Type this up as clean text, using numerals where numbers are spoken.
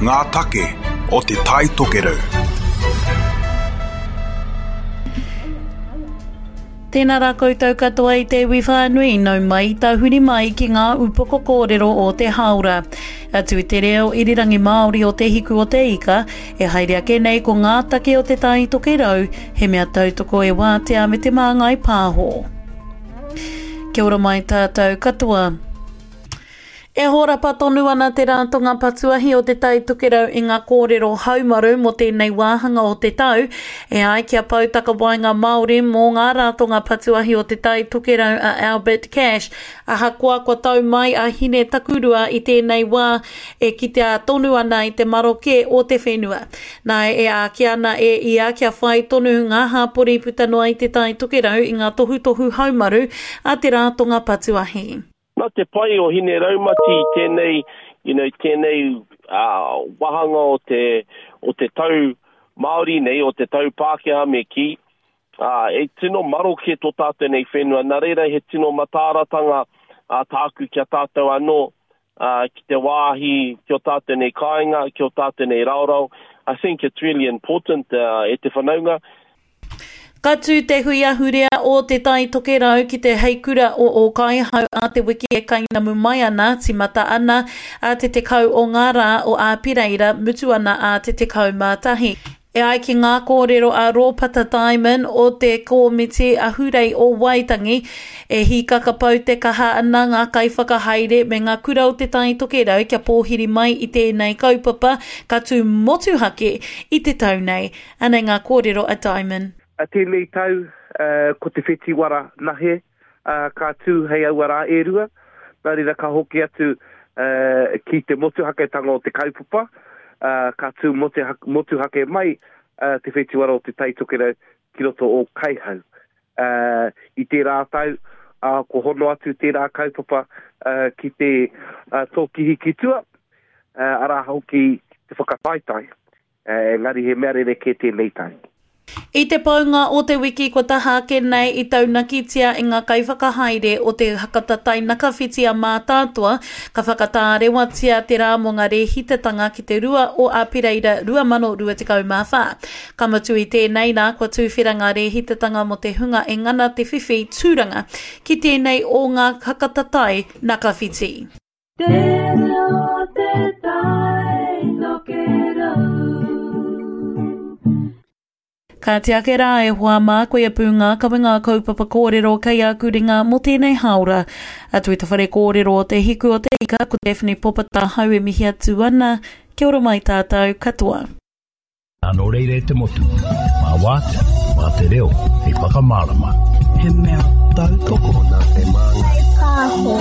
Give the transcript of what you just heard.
Ngā take o Te Tai Tokerau. Tēnā rā koutou katoa i te iwi whānui, nau mai tahuri mai ki ngā upoko kōrero o te hāora. Atu i te reo irirangi Māori o Te Hiku o Te Ika, e haere ake nei ko ngā take o Te Tai Tokerau, he mea tautoko e Wātea me Te Māngai Pāho. Kia ora mai tātou katoa. E hōrapa tonu ana te Ratonga Patuahi o Te Tai Tokerau i ngā kōrero haumaru mō tēnei wāhanga o te tau, e ai ki a Pou Takawaenga Māori mō ngā Ratonga Patuahi o Te Tai Tokerau a Albert Cash. Ahakoa kua tau mai a Hine Takurua i tēnei wā, e kitea tonu ana i te maroke o te whenua. Nā, e āki ana e ia kia whai tonu ngā hāpori puta noa i Te Tai Tokerau i ngā tohutohu haumaru a te Ratonga Patuahi. Nā te pai o Hine Raumati i tēnei, you know, tēnei uh, wahanga o te, o te tau Māori nei, o te tau Pākehā me kī, uh, e tino maroke tō tātou nei whenua. Nā reira he tino mataaratanga uh, tāku ki a tātou anō, uh, ki te wāhi ki o tātou nei kāinga, ki o tātou nei raorao. I think it's really important uh, e te whanaunga. Ka tū te hui ahurea o Te Tai Tokerau ki te heikura o Ōkaihau a te wiki e kainamu mai ana, tīmata ana a te 10 o ngā rā o Āpereira, mutu ana a te 11. E ai ki ngā kōrero a Rōpata Diamond o te Kōmiti Ahurei o Waitangi, e hīkaka pau te kaha ana ngā kaiwhakahaere me ngā kura o Te Tai Tokerau kia pōhiri mai i tēnei kaupapa ka tū motuhake i te tau nei. Anei ngā kōrero a Diamond. A tēnei tau, ko te whetiwara nahe ka tū hei aua rā e rua, nā reira ka hoki atu ki te motuhaketanga o te kaupapa, ka tū motuhake mai te whetiwara o Te Tai Tokerau ki roto o Kaihau. I tērā tau, ko hono atu tērā kaupapa ki te Tōkihi ki tua, arā hoki te whakataetae. Engari he mea rerekē tēnei tau. I te paunga o te wiki kua taha ake nei i taunakitia e ngā kaiwhakahaere o te Hakatatai Nakawhiti a Mātātoa ka whakatārewatia te rā mō ngā rēhitatanga ki te 2 o Apereira 2024. Ka mutu i tēnei rā kua tūwhera ngā rēhitatanga mō te hunga e ngana te whiwhi tūranga ki tēnei o ngā Hakatatai Nakawhiti. Te reo te tai tokerau. Kāti ake rā e hoa mā, koia pū ngā kawenga kaupapa kōrero kei aku ringa mō tēnei hāora. Atu i te whare kōrero o Te Hiku o Te Ika, ko Daphne Popata hau e mihi atu ana, kia ora mai tātou katoa. Nō reira e te motu, mā Wātea, mā te reo, hei whakamārama. He mea tautoko nā Te Māngai Pāho.